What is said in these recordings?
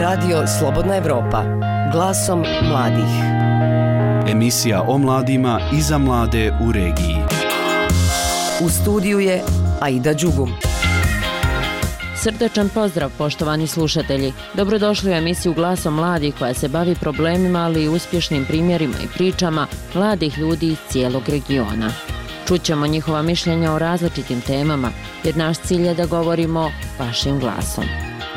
Radio Slobodna Evropa, glasom mladih. Emisija o mladima i za mlade u regiji. U studiju je Aida Đugum. Srdačan pozdrav, poštovani slušatelji. Dobrodošli u emisiju Glasom mladih koja se bavi problemima, ali i uspješnim primjerima i pričama mladih ljudi iz cijelog regiona. Čućemo njihova mišljenja o različitim temama, jer naš cilj je da govorimo vašim glasom.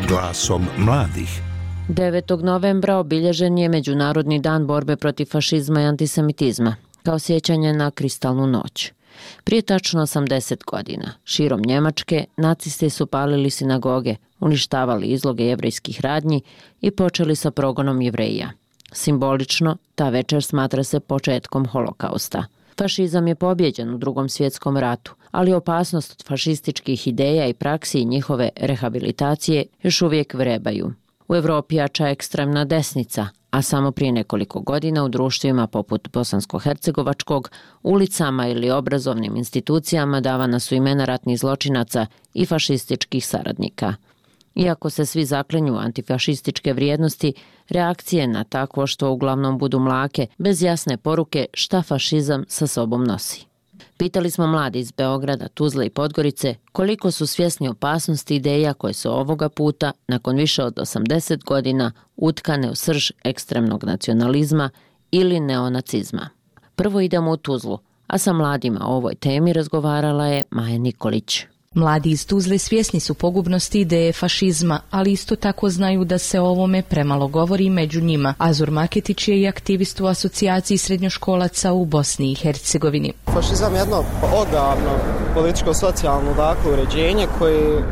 Glasom mladih. 9. novembra obilježen je Međunarodni dan borbe protiv fašizma i antisemitizma, kao sjećanje na kristalnu noć. Prije tačno 80 godina, širom Njemačke, nacisti su palili sinagoge, uništavali izloge jevrejskih radnji i počeli sa progonom Jevreja. Simbolično, ta večer smatra se početkom holokausta. Fašizam je pobijeđen u Drugom svjetskom ratu, ali opasnost od fašističkih ideja i praksi i njihove rehabilitacije još uvijek vrebaju. U Europi jača ekstremna desnica, a samo prije nekoliko godina u društvima poput bosansko-hercegovačkog, ulicama ili obrazovnim institucijama davana su imena ratnih zločinaca i fašističkih saradnika. Iako se svi zaklinju antifašističke vrijednosti, reakcije na takvo što uglavnom budu mlake, bez jasne poruke šta fašizam sa sobom nosi. Pitali smo mladi iz Beograda, Tuzle i Podgorice koliko su svjesni opasnosti ideja koje su ovoga puta, nakon više od 80 godina, utkane u srž ekstremnog nacionalizma ili neonacizma. Prvo idemo u Tuzlu, a sa mladima o ovoj temi razgovarala je Maja Nikolić. Mladi iz Tuzle svjesni su pogubnosti ideje fašizma, ali isto tako znaju da se o ovome premalo govori među njima. Azur Maketić je i aktivist u asocijaciji srednjoškolaca u Bosni i Hercegovini. Fašizam je jedno ogavno političko-socijalno uređenje koje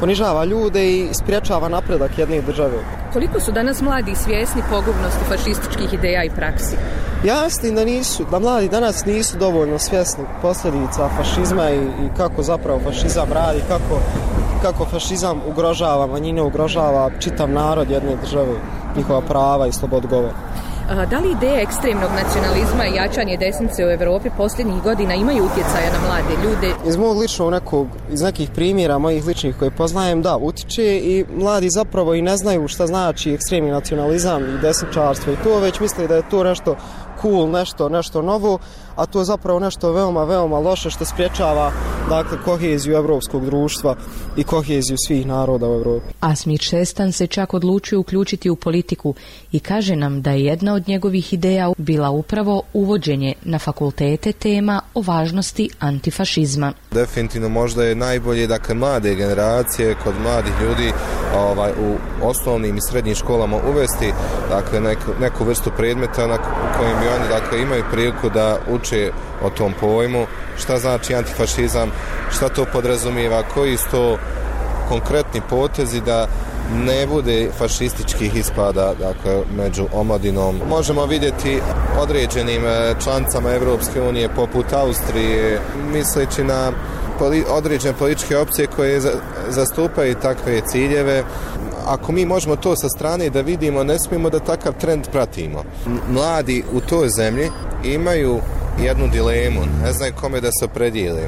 ponižava ljude i spriječava napredak jedne države. Koliko su danas mladi svjesni pogubnosti fašističkih ideja i praksi? Ja mislim da mladi danas nisu dovoljno svjesni posljedica fašizma i kako zapravo fašizam radi, kako fašizam ugrožava manjine, ugrožava čitav narod jedne države, njihova prava i slobodu govora. Da li ideje ekstremnog nacionalizma i jačanje desnice u Europi posljednjih godina imaju utjecaja na mlade ljude? Iz mog iz nekih primjera mojih ličnih koje poznajem, da, utiče i mladi zapravo i ne znaju šta znači ekstremni nacionalizam i desničarstvo i to, već misle da je to nešto cool, nešto novo, a to je zapravo nešto veoma, veoma loše što spriječava koheziju evropskog društva i koheziju svih naroda u Europi. Asmir Šestan se čak odlučio uključiti u politiku i kaže nam da je jedna od njegovih ideja bila upravo uvođenje na fakultete tema o važnosti antifašizma. Definitivno možda je najbolje mlade generacije kod mladih ljudi u osnovnim i srednjim školama uvesti neku vrstu predmeta u kojem bi oni imaju priliku da uče o tom pojmu, šta znači antifašizam, šta to podrazumijeva, koji su to konkretni potezi da ne bude fašističkih ispada među omladinom. Možemo vidjeti određenim članicama Evropske unije poput Austrije, misleći na određene političke opcije koje zastupaju takve ciljeve. Ako mi možemo to sa strane da vidimo, ne smijemo da takav trend pratimo. Mladi u toj zemlji imaju jednu dilemu, ne znaju kome da se opredijele,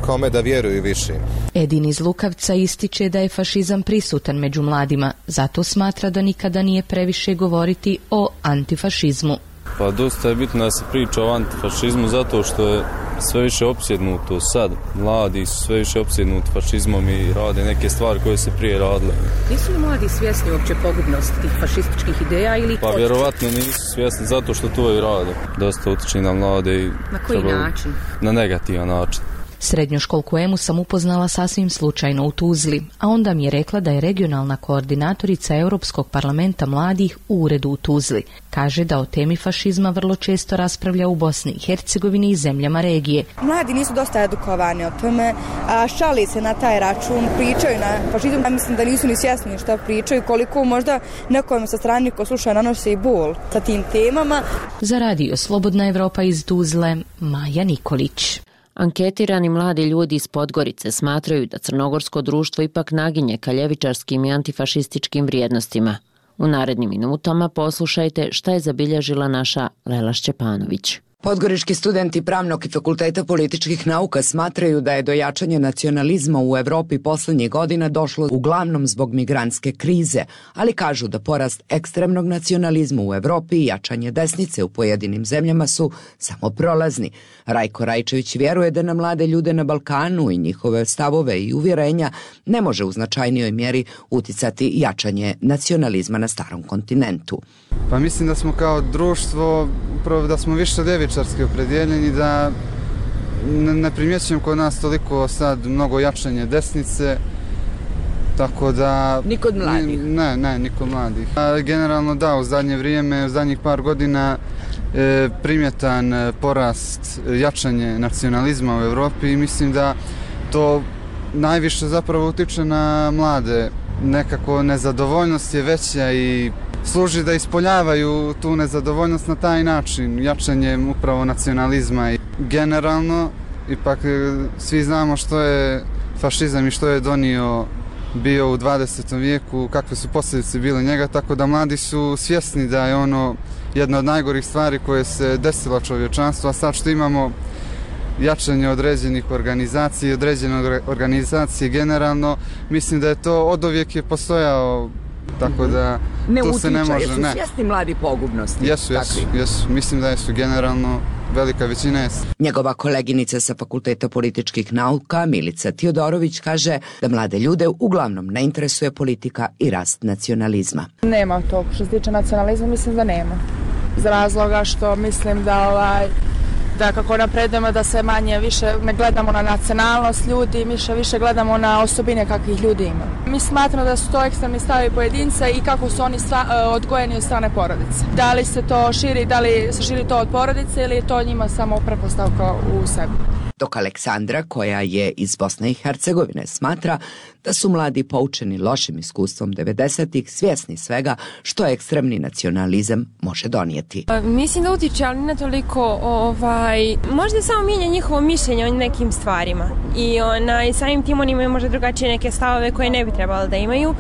kome da vjeruju više. Edin iz Lukavca ističe da je fašizam prisutan među mladima, zato smatra da nikada nije previše govoriti o antifašizmu. Pa dosta je bitno da se priča o antifašizmu zato što je sve više opsjednuto sad. Mladi su sve više opsjednuti fašizmom i rade neke stvari koje se prije radile. Nisu li mladi svjesni uopće pogubnosti tih fašističkih ideja ili... Pa vjerovatno nisu svjesni zato što to i rade. Dosta utiče na mlade i... Na koji način? Na negativan način. Srednjoškolku Emu sam upoznala sasvim slučajno u Tuzli, a onda mi je rekla da je regionalna koordinatorica Europskog parlamenta mladih u uredu u Tuzli. Kaže da o temi fašizma vrlo često raspravlja u Bosni i Hercegovini i zemljama regije. Mladi nisu dosta edukovani o tome, a šali se na taj račun, pričaju na fašizam. Ja mislim da nisu ni svjesni šta pričaju, koliko možda nekom sa strane ko sluša nanose i bol sa tim temama. Za Radio Slobodna Evropa iz Tuzle, Maja Nikolić. Anketirani mladi ljudi iz Podgorice smatraju da crnogorsko društvo ipak naginje ka ljevičarskim i antifašističkim vrijednostima. U narednim minutama poslušajte šta je zabilježila naša Lela Šćepanović. Podgorički studenti Pravnog i Fakulteta političkih nauka smatraju da je do jačanja nacionalizma u Evropi poslednjih godina došlo uglavnom zbog migrantske krize, ali kažu da porast ekstremnog nacionalizma u Evropi i jačanje desnice u pojedinim zemljama su samo prolazni. Rajko Rajčević vjeruje da na mlade ljude na Balkanu i njihove stavove i uvjerenja ne može u značajnijoj mjeri uticati jačanje nacionalizma na starom kontinentu. Pa mislim da smo kao društvo, upravo da smo više ljevičarski opredjeljeni, da ne primjećujem kod nas toliko sad mnogo jačanje desnice, tako da... Ni kod mladih? Ne, ni kod mladih. Generalno da, u zadnje vrijeme, u zadnjih par godina primjetan porast jačanje nacionalizma u Evropi i mislim da to najviše zapravo utiče na mlade. Nekako nezadovoljnost je veća i služi da ispoljavaju tu nezadovoljnost na taj način, jačanjem upravo nacionalizma. I generalno, ipak svi znamo što je fašizam i što je donio bio u 20. vijeku, kakve su posljedice bile njega, tako da mladi su svjesni da je ono jedna od najgorih stvari koje se desila čovječanstvu, a sad što imamo jačanje određenih organizacija i određene organizacije generalno, mislim da je to oduvijek je postojao, tako da tu se ne može... Jesu svjesni mladi pogubnosti? Jesu. Mislim da jesu generalno, velika većina jesu. Njegova koleginica sa Fakulteta političkih nauka, Milica Tiodorović, kaže da mlade ljude uglavnom ne interesuje politika i rast nacionalizma. Nema to. Što se tiče nacionalizma, mislim da nema. Iz razloga što mislim da kako napredujemo da se manje više ne gledamo na nacionalnost ljudi, više gledamo na osobine kakvih ljudi ima. Mi smatramo da su to ekstremni stavovi pojedinca i kako su oni odgojeni od strane porodice. Da li se to širi, da li se širi to od porodice ili je to njima samo pretpostavka u sebi. Dok Aleksandra, koja je iz Bosne i Hercegovine, smatra da su mladi poučeni lošim iskustvom 90-ih svjesni svega što ekstremni nacionalizam može donijeti. Mislim da utiče, ali ne toliko, možda samo mijenja njihovo mišljenje o nekim stvarima i samim tim oni imaju možda drugačije neke stavove koje ne bi trebali da imaju,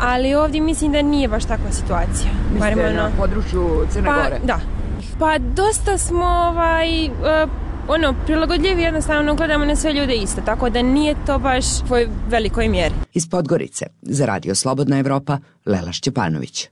ali ovdje mislim da nije baš takva situacija. Mislite na području Crne Gore? Da. Pa dosta smo prilagodljivi, jednostavno gledamo na sve ljude isto, tako da nije to baš u velikoj mjeri. Iz Podgorice, za Radio Slobodna Evropa, Lela Šćepanović.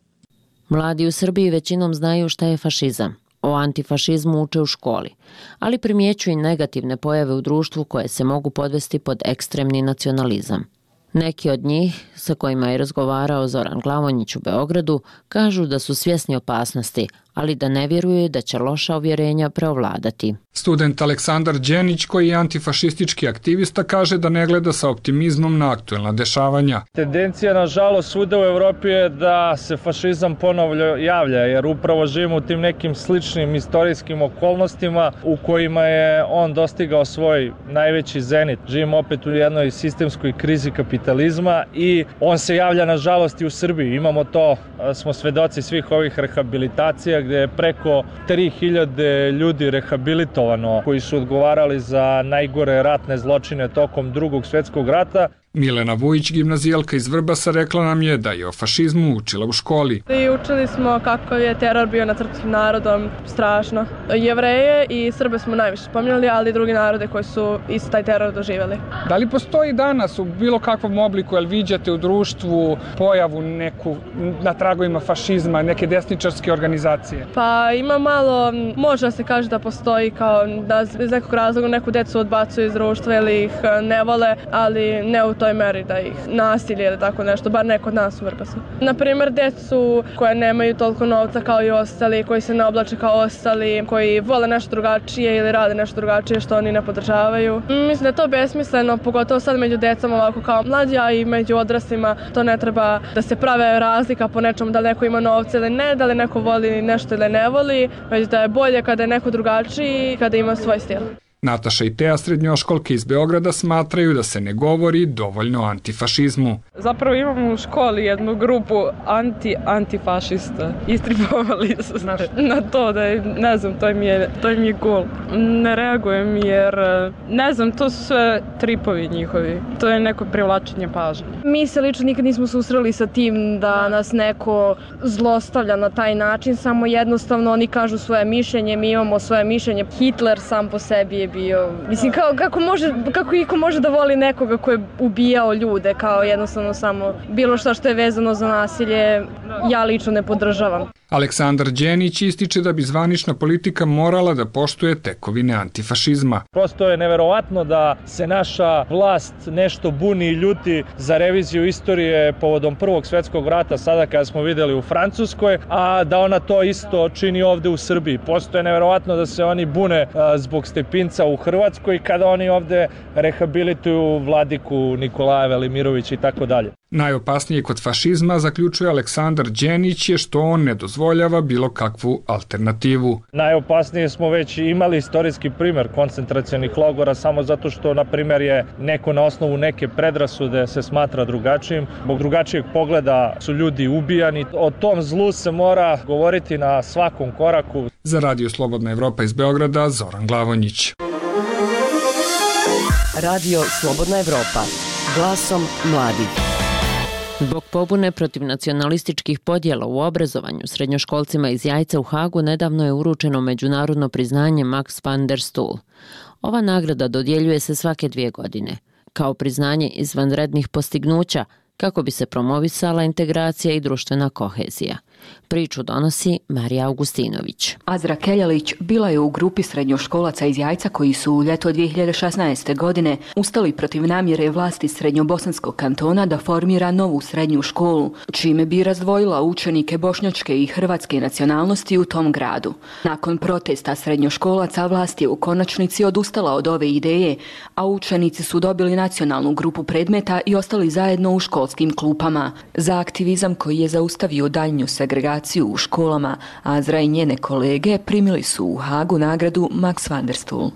Mladi u Srbiji većinom znaju šta je fašizam. O antifašizmu uče u školi, ali primjećuju i negativne pojave u društvu koje se mogu podvesti pod ekstremni nacionalizam. Neki od njih, sa kojima je razgovarao Zoran Glavonjić u Beogradu, kažu da su svjesni opasnosti, ali da ne vjeruju da će loša uvjerenja preovladati. Student Aleksandar Đenić, koji je antifašistički aktivista, kaže da ne gleda sa optimizmom na aktuelna dešavanja. Tendencija, nažalost, svuda u Evropi je da se fašizam ponovno javlja, jer upravo živimo u tim nekim sličnim istorijskim okolnostima u kojima je on dostigao svoj najveći zenit. Živimo opet u jednoj sistemskoj krizi kapitalizma i on se javlja, nažalost, i u Srbiji. Imamo to, smo svedoci svih ovih rehabilitacija, gdje je preko 3000 ljudi rehabilitovano koji su odgovarali za najgore ratne zločine tokom Drugog svjetskog rata. Milena Vujić, gimnazijalka iz Vrbasa, rekla nam je da je o fašizmu učila u školi. I učili smo kako je teror bio nad srpskim narodom, strašno. Jevreje i Srbe smo najviše spominjali, ali i drugi narode koji su isto taj teror doživjeli. Da li postoji danas u bilo kakvom obliku, jel viđate u društvu pojavu neku na tragovima fašizma, neke desničarske organizacije? Pa ima malo, može se kaže da postoji kao da iz nekog razloga neku decu odbacuju iz društva ili ih ne vole, ali ne u toj meri da ih nasilje ili tako nešto, bar ne kod nas u Vrbasu. Naprimjer, decu koje nemaju toliko novca kao i ostali, koji se ne oblače kao ostali, koji vole nešto drugačije ili rade nešto drugačije što oni ne podržavaju. Mislim da je to besmisleno, pogotovo sad među decom ovako kao mlađi, a i među odraslima. To ne treba da se prave razlika po nečemu, da li neko ima novca ili ne, da li neko voli nešto ili ne voli, već da je bolje kada je neko drugačiji i kada ima svoj stil. Nataša i Teja, srednjoškolke iz Beograda, smatraju da se ne govori dovoljno o antifašizmu. Zapravo imamo u školi jednu grupu antifašista. Istripovali su na to da je, ne znam, to mi je cool. Ne reagujem jer, ne znam, to su sve tripovi njihovi. To je neko privlačenje pažnje. Mi se lično nikad nismo susreli sa tim da nas neko zlostavlja na taj način, samo jednostavno oni kažu svoje mišljenje, mi imamo svoje mišljenje. Hitler sam po sebi je bio, mislim, kako iko može da voli nekoga ko je ubijao ljude, kao jednostavno samo bilo što je vezano za nasilje, ja lično ne podržavam. Aleksandar Đenić ističe da bi zvanična politika morala da poštuje tekovine antifašizma. Prosto je neverovatno da se naša vlast nešto buni i ljuti za reviziju istorije povodom Prvog svjetskog rata, sada kada smo vidjeli u Francuskoj, a da ona to isto čini ovde u Srbiji. Prosto je neverovatno da se oni bune zbog Stepinca u Hrvatskoj kada oni ovde rehabilituju vladiku Nikolaja Velimirovića i tako dalje. Najopasnije kod fašizma, zaključuje Aleksandar Đenić, je što on ne dozvoljava bilo kakvu alternativu. Najopasnije smo već imali istorijski primjer koncentracionih logora samo zato što, na primjer, je neko na osnovu neke predrasude se smatra drugačijim. Zbog drugačijeg pogleda su ljudi ubijani. O tom zlu se mora govoriti na svakom koraku. Za Radio Slobodna Evropa iz Beograda, Zoran Glavonjić. Radio Slobodna Evropa, glasom mladih. Zbog pobune protiv nacionalističkih podjela u obrazovanju srednjoškolcima iz Jajca u Hagu nedavno je uručeno međunarodno priznanje Max van der Stoel. Ova nagrada dodjeljuje se svake 2 godine, kao priznanje izvanrednih postignuća kako bi se promovisala integracija i društvena kohezija. Priču donosi Marija Augustinović. Azra Keljalić bila je u grupi srednjoškolaca iz Jajca koji su u ljeto 2016. godine ustali protiv namjere vlasti Srednjobosanskog kantona da formira novu srednju školu, čime bi razdvojila učenike bošnjačke i hrvatske nacionalnosti u tom gradu. Nakon protesta srednjoškolaca vlast je u konačnici odustala od ove ideje, a učenici su dobili nacionalnu grupu predmeta i ostali zajedno u školskim klupama. Za aktivizam koji je zaustavio daljnju segregaciju u školama, Azra i njene kolege primili su u Hagu nagradu Max van der Stoel.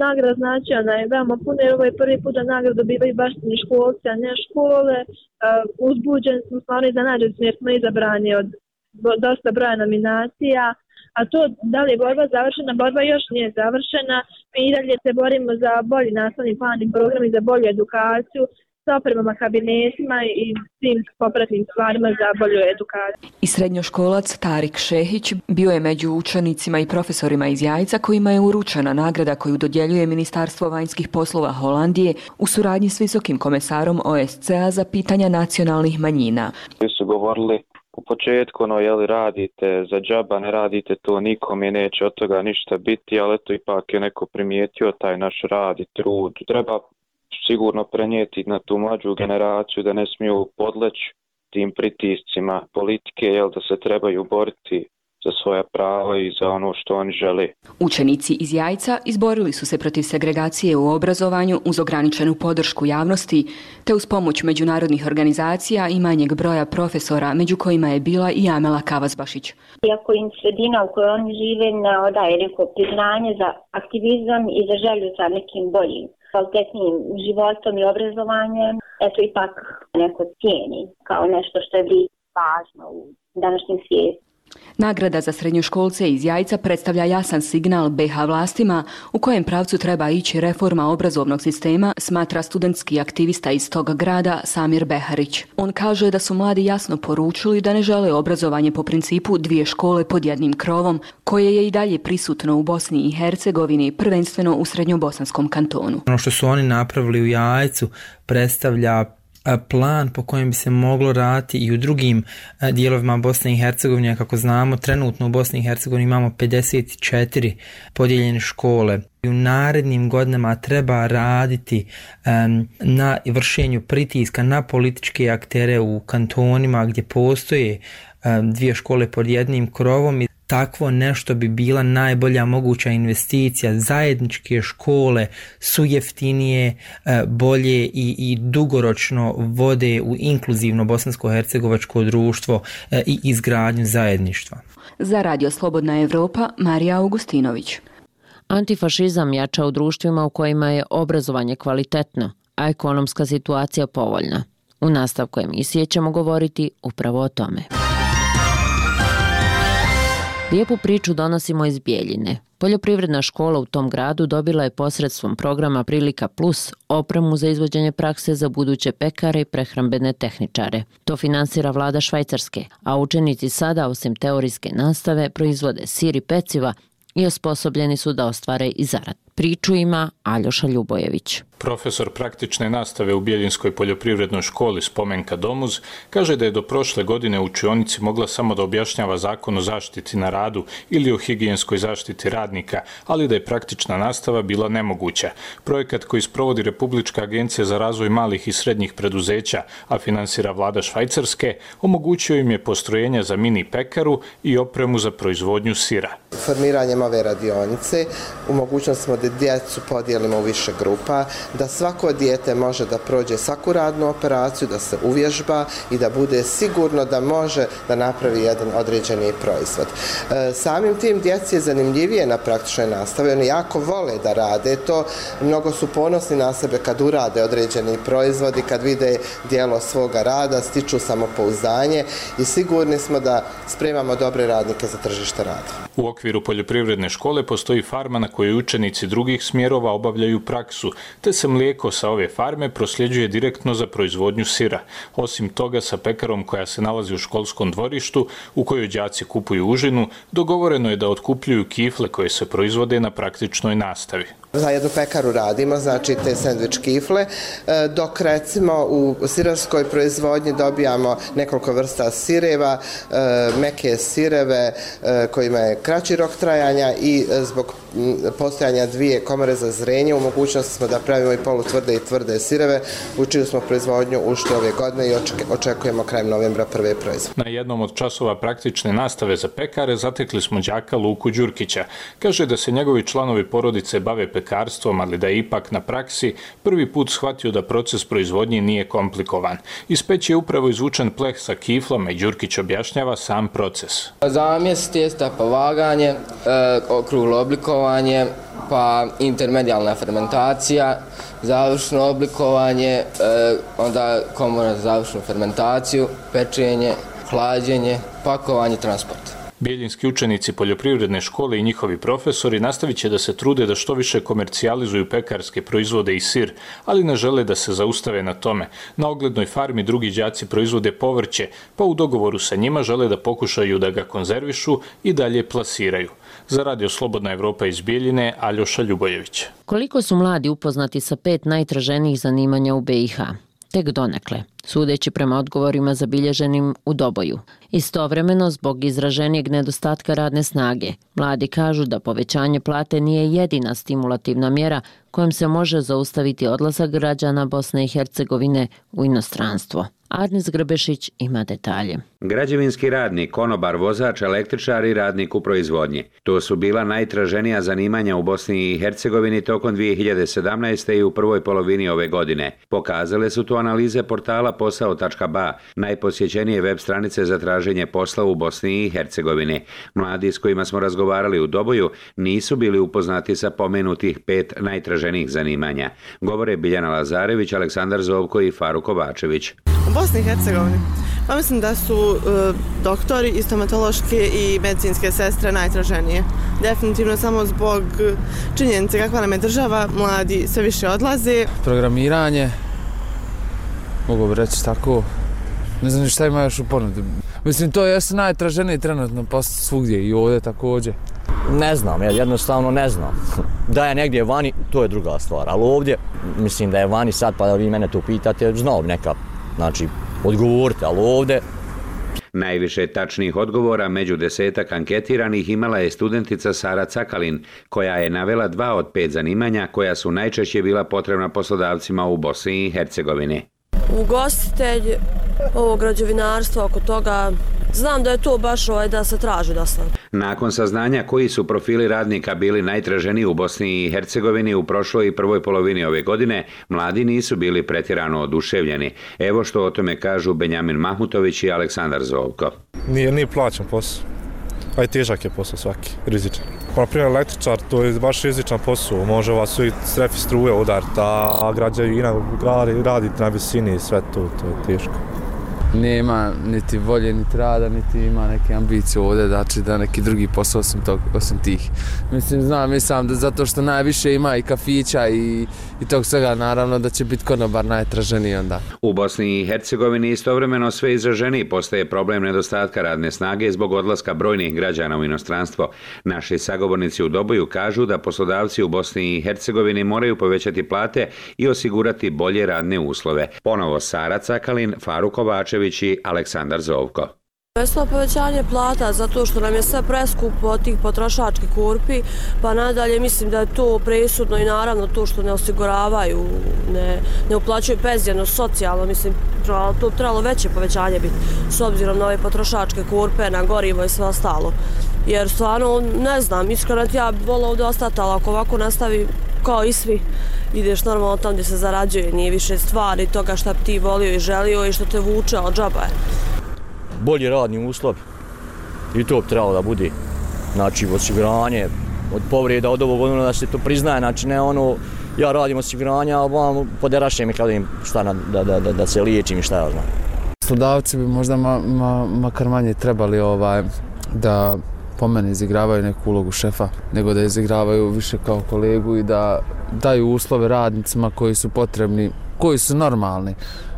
Nagrada značajna je veoma puno, jer ovo je prvi put da nagradu dobivaju baš školci, a ne škole. Uzbuđeni smo, stvarno iznenađeni jer smo izabrani od dosta broja nominacija. A to da li je borba završena, borba još nije završena. Mi i dalje se borimo za bolji nastavni plan i program i za bolju edukaciju, sa opremama, kabinetima i svim popratnim stvarima za bolju edukaciju. I srednjoškolac Tarik Šehić bio je među učenicima i profesorima iz Jajca kojima je uručena nagrada koju dodjeljuje Ministarstvo vanjskih poslova Holandije u suradnji s visokim komesarom OSCE-a za pitanja nacionalnih manjina. Su govorili u početku, radite za džaba, ne radite to, nikome neće od toga ništa biti, ali eto ipak je neko primijetio taj naš rad i trud. Treba sigurno prenijeti na tu mlađu generaciju da ne smiju podleći tim pritiscima politike, da se trebaju boriti za svoja prava i za ono što oni žele. Učenici iz Jajca izborili su se protiv segregacije u obrazovanju uz ograničenu podršku javnosti, te uz pomoć međunarodnih organizacija i manjeg broja profesora, među kojima je bila i Amela Kavazbašić. Iako im sredina u kojoj oni žive ne odaje neko priznanje za aktivizam i za želju za nekim boljim, kvalitetnijim životom i obrazovanjem, eto ipak neko cijeni kao nešto što je važno u današnjem svijetu. Nagrada za srednjoškolce iz Jajca predstavlja jasan signal BiH vlastima u kojem pravcu treba ići reforma obrazovnog sistema, smatra studentski aktivista iz tog grada Samir Beharić. On kaže da su mladi jasno poručili da ne žele obrazovanje po principu 2 škole pod jednim krovom, koje je i dalje prisutno u Bosni i Hercegovini, prvenstveno u Srednjobosanskom kantonu. Ono što su oni napravili u Jajcu predstavlja plan po kojem bi se moglo raditi i u drugim dijelovima Bosne i Hercegovine. Kako znamo, trenutno u Bosni i Hercegovini imamo 54 podijeljene škole. U narednim godinama treba raditi na vršenju pritiska na političke aktere u kantonima gdje postoje 2 škole pod jednim krovom. I takvo nešto bi bila najbolja moguća investicija. Zajedničke škole su jeftinije, bolje i dugoročno vode u inkluzivno bosansko-hercegovačko društvo i izgradnju zajedništva. Za Radio Slobodna Evropa, Marija Augustinović. Antifašizam jača u društvima u kojima je obrazovanje kvalitetno, a ekonomska situacija povoljna. U nastavku emisije ćemo govoriti upravo o tome. Lijepu priču donosimo iz Bijeljine. Poljoprivredna škola u tom gradu dobila je posredstvom programa Prilika Plus opremu za izvođenje prakse za buduće pekare i prehrambene tehničare. To finansira vlada Švajcarske, a učenici sada, osim teorijske nastave, proizvode sir i peciva i osposobljeni su da ostvare i zarad. Priču ima Aljoša Ljubojević. Profesor praktične nastave u Bijeljinskoj poljoprivrednoj školi Spomenka Domuz kaže da je do prošle godine u učionici mogla samo da objašnjava zakon o zaštiti na radu ili o higijenskoj zaštiti radnika, ali da je praktična nastava bila nemoguća. Projekat koji sprovodi Republička agencija za razvoj malih i srednjih preduzeća, a finansira vlada Švajcarske, omogućio im je postrojenja za mini pekaru i opremu za proizvodnju sira. Formiranjem ove radionice u mogućnosti smo da djecu podijelimo u više grupa, da svako dijete može da prođe svaku radnu operaciju, da se uvježba i da bude sigurno da može da napravi jedan određeni proizvod. Samim tim djeci je zanimljivije na praktičnoj nastavi, oni jako vole da rade to, mnogo su ponosni na sebe kad urade određeni proizvodi, kad vide dijelo svoga rada, stiču samopouzdanje i sigurni smo da spremamo dobre radnike za tržište rada. U okviru poljoprivredne škole postoji farma na kojoj učenici drugih smjerova obavljaju praksu, te se mlijeko sa ove farme prosljeđuje direktno za proizvodnju sira. Osim toga, sa pekarom koja se nalazi u školskom dvorištu, u kojoj đaci kupuju užinu, dogovoreno je da otkupljuju kifle koje se proizvode na praktičnoj nastavi. Za jednu pekaru radimo, znači te sendvič kifle, dok recimo u sirarskoj proizvodnji dobijamo nekoliko vrsta sireva, meke sireve kojima je kraći rok trajanja i zbog postojanja dvije komore za zrenje u mogućnosti smo da pravimo i polutvrde i tvrde sireve, u čiju smo proizvodnju ušli ove godine i očekujemo krajem novembra prve proizvode. Na jednom od časova praktične nastave za pekare zatekli smo đaka Luku Đurkića. Kaže da se njegovi članovi porodice bave pekarstvom, ali da je ipak na praksi prvi put shvatio da proces proizvodnje nije komplikovan. Iz peći je upravo izvučen pleh sa kiflama i Đurkić objašnjava sam proces. Zamjes tijesta, pa vaganje, okruglo oblikovanje, pa intermedijalna fermentacija, završno oblikovanje, onda komora za završnu fermentaciju, pečenje, hlađenje, pakovanje, transport. Bijeljinski učenici poljoprivredne škole i njihovi profesori nastavit će da se trude da što više komercijalizuju pekarske proizvode i sir, ali ne žele da se zaustave na tome. Na oglednoj farmi drugi đaci proizvode povrće, pa u dogovoru sa njima žele da pokušaju da ga konzervišu i dalje plasiraju. Za Radio Slobodna Evropa iz Bijeljine, Aljoša Ljubojević. Koliko su mladi upoznati sa 5 najtraženijih zanimanja u BiH? Tek donekle, sudeći prema odgovorima zabilježenim u Doboju. Istovremeno, zbog izraženijeg nedostatka radne snage, mladi kažu da povećanje plate nije jedina stimulativna mjera kojom se može zaustaviti odlazak građana Bosne i Hercegovine u inostranstvo. Arnis Grbešić ima detalje. Građevinski radnik, konobar, vozač, električar i radnik u proizvodnji. To su bila najtraženija zanimanja u Bosni i Hercegovini tokom 2017. i u prvoj polovini ove godine. Pokazale su to analize portala posao.ba, najposjećenije web stranice za traženje posla u Bosni i Hercegovini. Mladi s kojima smo razgovarali u Doboju nisu bili upoznati sa pomenutih 5 najtraženijih zanimanja. Govore Biljana Lazarević, Aleksandar Zovko i Faruk Kovačević. U Bosni i Hercegovini? Pa mislim da su doktori i stomatološke i medicinske sestre najtraženije. Definitivno samo zbog činjenice kakva nam je država, mladi sve više odlaze. Programiranje, mogu bi reći tako, ne znam šta ima još u ponudi. Mislim, to jesu najtraženiji trenutno posle svugdje i ovdje također. Ne znam, ja jednostavno ne znam. Da je negdje vani, to je druga stvar, ali ovdje, mislim da je vani sad, pa da vi mene to pitate, znao bi neka, znači, odgovorite, ali ovdje... Najviše tačnih odgovora među 10 anketiranih imala je studentica Sara Cakalin, koja je navela 2 od 5 zanimanja koja su najčešće bila potrebna poslodavcima u Bosni i Hercegovini. Ugostitelj, ovo građevinarstvo, oko toga, znam da je to baš da se traži dosta. Nakon saznanja koji su profili radnika bili najtraženiji u Bosni i Hercegovini u prošloj i prvoj polovini ove godine, mladi nisu bili pretjerano oduševljeni. Evo što o tome kažu Benjamin Mahmutović i Aleksandar Zovko. Nije plaćan posao. a i težak je posao svaki, rizičan. Na primjer, električar, to je baš rizičan posao, može vas svi strefi struje udariti, a građevina raditi na visini i sve to je teško. Nema niti volje, niti rada, niti ima neke ambicije ovdje, znači da neki drugi posao osim tih. Mislim da zato što najviše ima i kafića i tog svega, naravno da će biti konobar najtraženiji onda. U Bosni i Hercegovini istovremeno sve izraženiji postaje problem nedostatka radne snage zbog odlaska brojnih građana u inostranstvo. Naši sagovornici u Doboju kažu da poslodavci u Bosni i Hercegovini moraju povećati plate i osigurati bolje radne uslove. Ponovo Sara Cakalin, Faruk Kovačević i Aleksandar Zovko. Veslo povećanje plata zato što nam je sve preskupo od tih potrošačkih korpi, pa nadalje mislim da je to presudno i naravno to što ne osiguravaju, ne uplaćuju penzijeno, socijalno, mislim to trebalo veće povećanje biti s obzirom na ove potrošačke korpe, na gorivo i sve ostalo. Jer stvarno ne znam, iskreno ja bih volila ovdje ostati, ali ako ovako nastavi kao i svi, ideš normalno tam gdje se zarađuje, nije više stvari toga šta bi ti volio i želio i što te vuče od džaba je. Bolji radni uslov i to bi trebalo da bude, znači osiguranje od povreda od ovog ono da se to priznaje, znači ne ono ja radim osiguranja, a vam poderaše mi kada im šta da se liječim i šta ja znam. Poslodavci bi možda makar manje trebali da po meni izigravaju neku ulogu šefa, nego da izigravaju više kao kolegu i da daju uslove radnicima koji su potrebni, koji su normalni,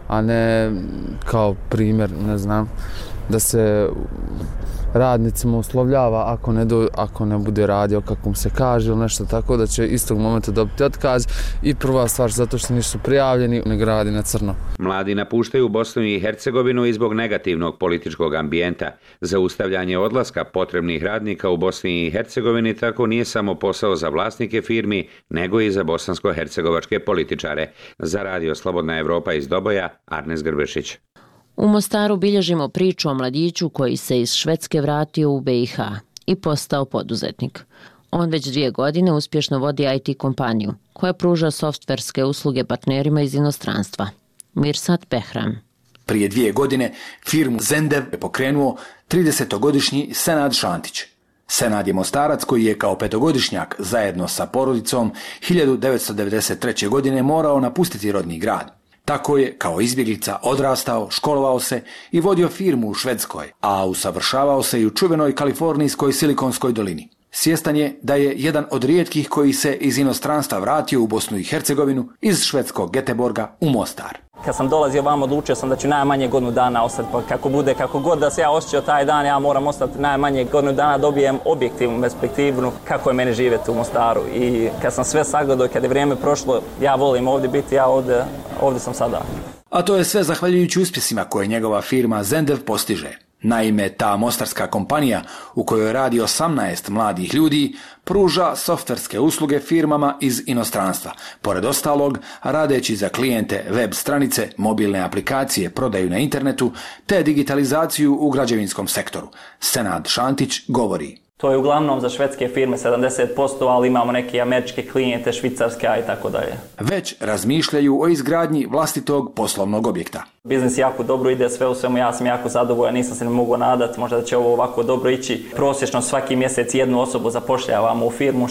a ne kao primjer, ne znam, da se radnicima uslovljava ako ne bude radio kako mu se kaže ili nešto tako, da će istog momenta dobiti otkaz i prva stvar zato što nisu prijavljeni, nego radi na crno. Mladi napuštaju Bosnu i Hercegovinu i zbog negativnog političkog ambijenta. Zaustavljanje odlaska potrebnih radnika u Bosni i Hercegovini tako nije samo posao za vlasnike firmi, nego i za bosansko-hercegovačke političare. Za Radio Slobodna Evropa iz Doboja, Arnes Grbešić. U Mostaru bilježimo priču o mladiću koji se iz Švedske vratio u BiH i postao poduzetnik. On već 2 godine uspješno vodi IT kompaniju koja pruža softverske usluge partnerima iz inostranstva. Mirsad Behram. Prije 2 godine firmu Zendev je pokrenuo 30-godišnji Senad Šantić. Senad je Mostarac koji je kao 5-godišnjak zajedno sa porodicom 1993. godine morao napustiti rodni grad. Tako je, kao izbjeglica, odrastao, školovao se i vodio firmu u Švedskoj, a usavršavao se i u čuvenoj kalifornijskoj Silikonskoj dolini. Svjestan je da je jedan od rijetkih koji se iz inostranstva vratio u Bosnu i Hercegovinu iz švedskog Göteborga u Mostar. Kad sam dolazio vam, odlučio sam da ću najmanje godinu dana ostati, pa kako god da se ja osjećao taj dan, ja moram ostati najmanje godinu dana, dobijem objektivnu perspektivnu kako je meni živjeti u Mostaru. I kad sam sve sagledao, kad je vrijeme prošlo, ja volim ovdje biti, ja ovdje sam sada. A to je sve zahvaljujući uspjesima koje njegova firma Zendev postiže. Naime, ta mostarska kompanija u kojoj radi 18 mladih ljudi pruža softverske usluge firmama iz inostranstva. Pored ostalog, radeći za klijente web stranice, mobilne aplikacije, prodaju na internetu te digitalizaciju u građevinskom sektoru. Senad Šantić govori. To je uglavnom za švedske firme 70%, ali imamo neke američke klijente, švicarske i tako dalje. Već razmišljaju o izgradnji vlastitog poslovnog objekta. Biznis jako dobro ide, sve u svemu, ja sam jako zadovoljan, nisam se ne mogu nadati, možda da će ovo ovako dobro ići. Prosječno svaki mjesec 1 osobu zapošljavamo u firmu,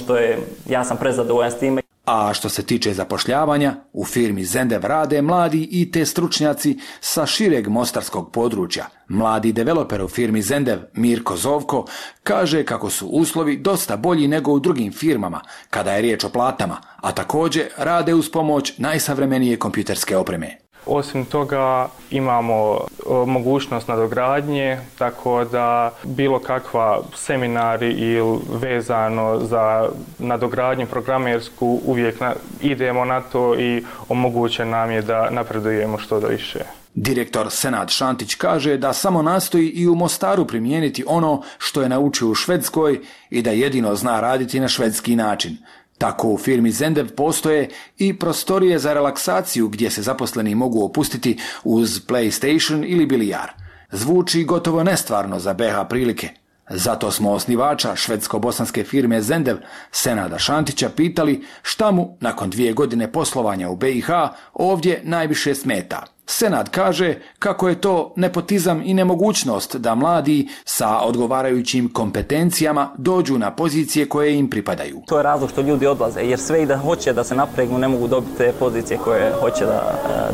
ja sam prezadovoljan s time. A što se tiče zapošljavanja, u firmi Zendev rade mladi IT stručnjaci sa šireg mostarskog područja. Mladi developer u firmi Zendev, Mirko Zovko, kaže kako su uslovi dosta bolji nego u drugim firmama kada je riječ o platama, a također rade uz pomoć najsavremenije kompjuterske opreme. Osim toga imamo mogućnost nadogradnje, tako da bilo kakva seminari ili vezano za nadogradnju programersku uvijek idemo na to i omoguće nam je da napredujemo što da više. Direktor Senad Šantić kaže da samo nastoji i u Mostaru primijeniti ono što je naučio u Švedskoj i da jedino zna raditi na švedski način. Tako u firmi Zendev postoje i prostorije za relaksaciju gdje se zaposleni mogu opustiti uz PlayStation ili bilijar. Zvuči gotovo nestvarno za BiH prilike. Zato smo osnivača švedsko-bosanske firme Zendev, Senada Šantića, pitali šta mu nakon 2 godine poslovanja u BiH ovdje najviše smeta. Senad kaže kako je to nepotizam i nemogućnost da mladi sa odgovarajućim kompetencijama dođu na pozicije koje im pripadaju. To je razlog što ljudi odlaze, jer sve i da hoće da se napregnu ne mogu dobiti te pozicije koje hoće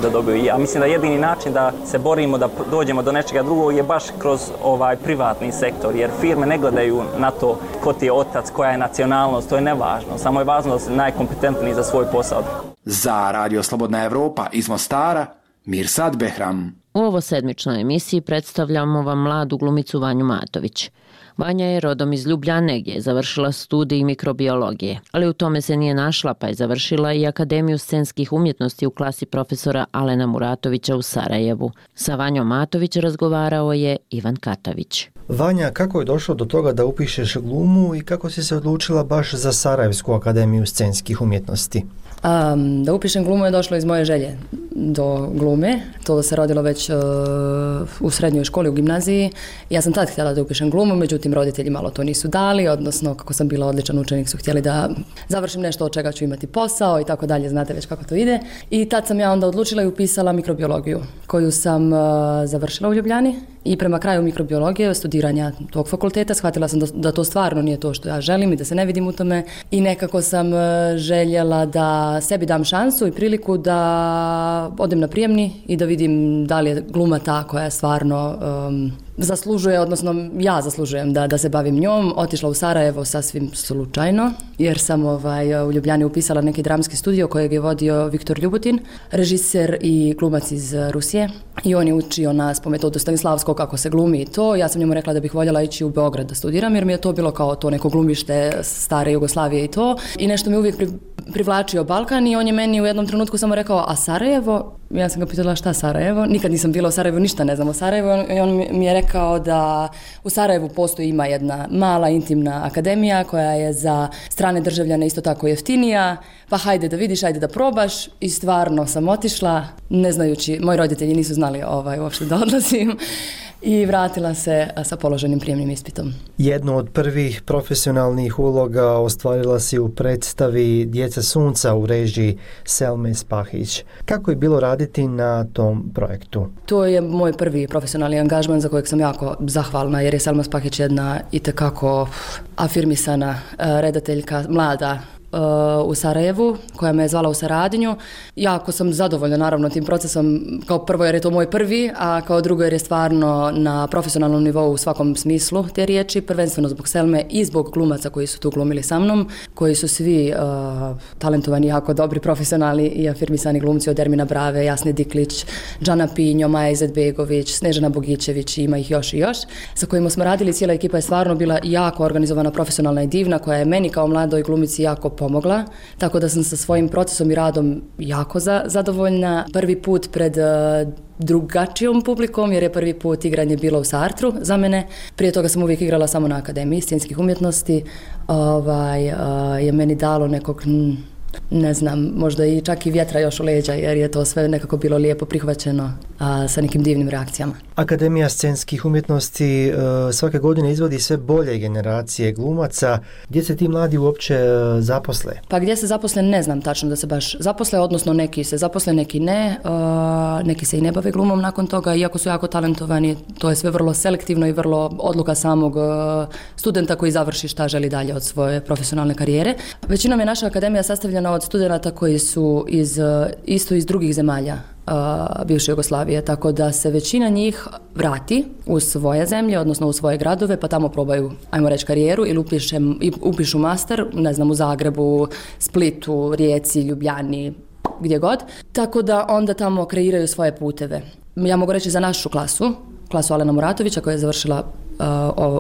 da dobiju. I ja mislim da jedini način da se borimo da dođemo do nečega drugog je baš kroz ovaj privatni sektor, jer firme ne gledaju na to ko ti je otac, koja je nacionalnost, to je nevažno. Samo je važno da si najkompetentniji za svoj posao. Za Radio Slobodna Evropa iz Mostara, Mirsad Behram. U ovo sedmičnoj emisiji predstavljamo vam mladu glumicu Vanju Matović. Vanja je rodom iz Ljubljane gdje je završila studij mikrobiologije, ali u tome se nije našla pa je završila i Akademiju scenskih umjetnosti u klasi profesora Alena Muratovića u Sarajevu. Sa Vanjom Matović razgovarao je Ivan Katavić. Vanja, kako je došlo do toga da upišeš glumu i kako si se odlučila baš za Sarajevsku akademiju scenskih umjetnosti? Da upišem glumu je došlo iz moje želje do glume. To se rodilo već u srednjoj školi, u gimnaziji. Ja sam tad htjela da upišem glumu, međutim roditelji malo to nisu dali, odnosno kako sam bila odličan učenik su htjeli da završim nešto od čega ću imati posao i tako dalje, znate već kako to ide. I tad sam ja onda odlučila i upisala mikrobiologiju koju sam završila u Ljubljani i prema kraju mikrobiologije, studiranja tog fakulteta, shvatila sam da to stvarno nije to što ja želim i da se ne vidim u tome i nekako sam željela da sebi dam šansu i priliku da odem na prijemni i da vidim da li je gluma ta koja stvarno zaslužuje, odnosno ja zaslužujem da se bavim njom. Otišla u Sarajevo sasvim slučajno, jer sam u Ljubljani upisala neki dramski studio kojeg je vodio Viktor Ljubutin, režiser i glumac iz Rusije. I on je učio nas po metodu Stanislavskog kako se glumi i to. Ja sam njemu rekla da bih voljela ići u Beograd da studiram, jer mi je to bilo kao to neko glumište stare Jugoslavije i to. I nešto mi uvijek privlačio Balkan i on je meni u jednom trenutku samo rekao, a Sarajevo? Ja sam ga pitala šta Sarajevo? Nikad nisam bila u Sarajevu, ništa ne znam o Sarajevu. I on mi je rekao da u Sarajevu ima jedna mala intimna akademija koja je za strane državljane isto tako jeftinija, pa hajde da vidiš, hajde da probaš. I stvarno sam otišla, ne znajući, moji roditelji nisu znali uopšte da odlazim. I vratila se sa položenim prijemnim ispitom. Jednu od prvih profesionalnih uloga ostvarila si u predstavi Djeca sunca u režiji Selme Spahić. Kako je bilo raditi na tom projektu? To je moj prvi profesionalni angažman za kojeg sam jako zahvalna, jer je Selma Spahić jedna itekako afirmisana redateljka, mlada u Sarajevu, koja me je zvala u saradnju. Jako sam zadovoljna naravno tim procesom, kao prvo jer je to moj prvi, a kao drugo jer je stvarno na profesionalnom nivou u svakom smislu te riječi, prvenstveno zbog Selme i zbog glumaca koji su tu glumili sa mnom, koji su svi talentovani, jako dobri, profesionalni i afirmisani glumci, od Ermina Brave, Jasne Diklić, Džana Pinjo, Maja Izetbegović, Snežana Bogićević, ima ih još i još, sa kojima smo radili. Cijela ekipa je stvarno bila jako organizovana, profesionalna i divna, koja je meni kao mladoj glumici jako pomogla, tako da sam sa svojim procesom i radom jako zadovoljna. Prvi put pred drugačijom publikom, jer je prvi put igranje bilo u Sartru za mene. Prije toga sam uvijek igrala samo na Akademiji scenskih umjetnosti. Je meni dalo nekog, ne znam, možda i čak i vjetra još u leđa, jer je to sve nekako bilo lijepo prihvaćeno sa nekim divnim reakcijama. Akademija scenskih umjetnosti svake godine izvodi sve bolje generacije glumaca. Gdje se ti mladi uopće zaposle? Pa gdje se zaposle ne znam tačno da se baš zaposle, odnosno neki se zaposle, neki ne. Neki se i ne bave glumom nakon toga, iako su jako talentovani. To je sve vrlo selektivno i vrlo odluka samog studenta koji završi šta želi dalje od svoje profesionalne karijere. Većinom je naša akademija sastavljena od studenata koji su isto iz drugih zemalja bivše Jugoslavije, tako da se većina njih vrati u svoje zemlje, odnosno u svoje gradove, pa tamo probaju, ajmo reći, karijeru ili upišu master, ne znam, u Zagrebu, Splitu, Rijeci, Ljubljani, gdje god. Tako da onda tamo kreiraju svoje puteve. Ja mogu reći za našu klasu Alena Muratovića, koja je završila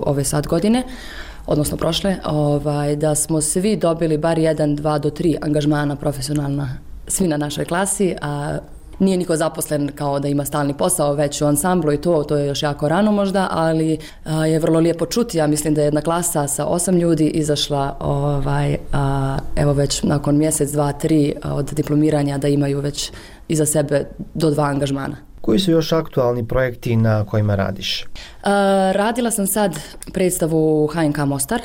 ove sad godine, odnosno prošle, da smo svi dobili bar 1, 2 do 3 angažmana profesionalna, svi na našoj klasi, a nije niko zaposlen kao da ima stalni posao već u ansamblu i to je još jako rano možda, ali je vrlo lijepo čuti. Ja mislim da je jedna klasa sa 8 ljudi izašla evo već nakon mjesec, 2, 3 od diplomiranja da imaju već iza sebe do 2 angažmana. Koji su još aktualni projekti na kojima radiš? Radila sam sad predstavu HNK Mostar.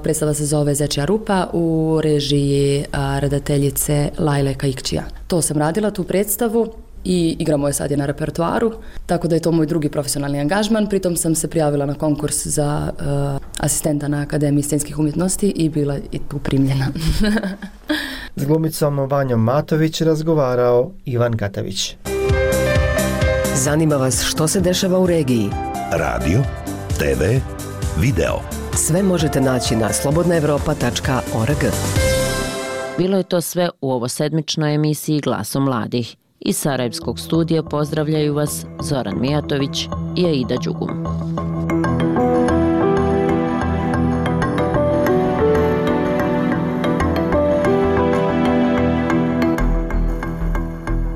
Predstava se zove Zečja rupa u režiji redateljice Lajle Kaikčija. To sam radila, tu predstavu. i igra moje sad je na repertoaru, tako da je to moj drugi profesionalni angažman. Pritom sam se prijavila na konkurs za asistenta na Akademiji scenskih umjetnosti i bila i tu primljena. S glumicom Vanjom Matović razgovarao Ivan Katavić. Zanima vas što se dešava u regiji? Radio, TV, video. Sve možete naći na slobodnaevropa.org. Bilo je to sve u ovosedmičnoj emisiji Glasom mladih. Iz Sarajevskog studija pozdravljaju vas Zoran Mijatović i Aida Đugum.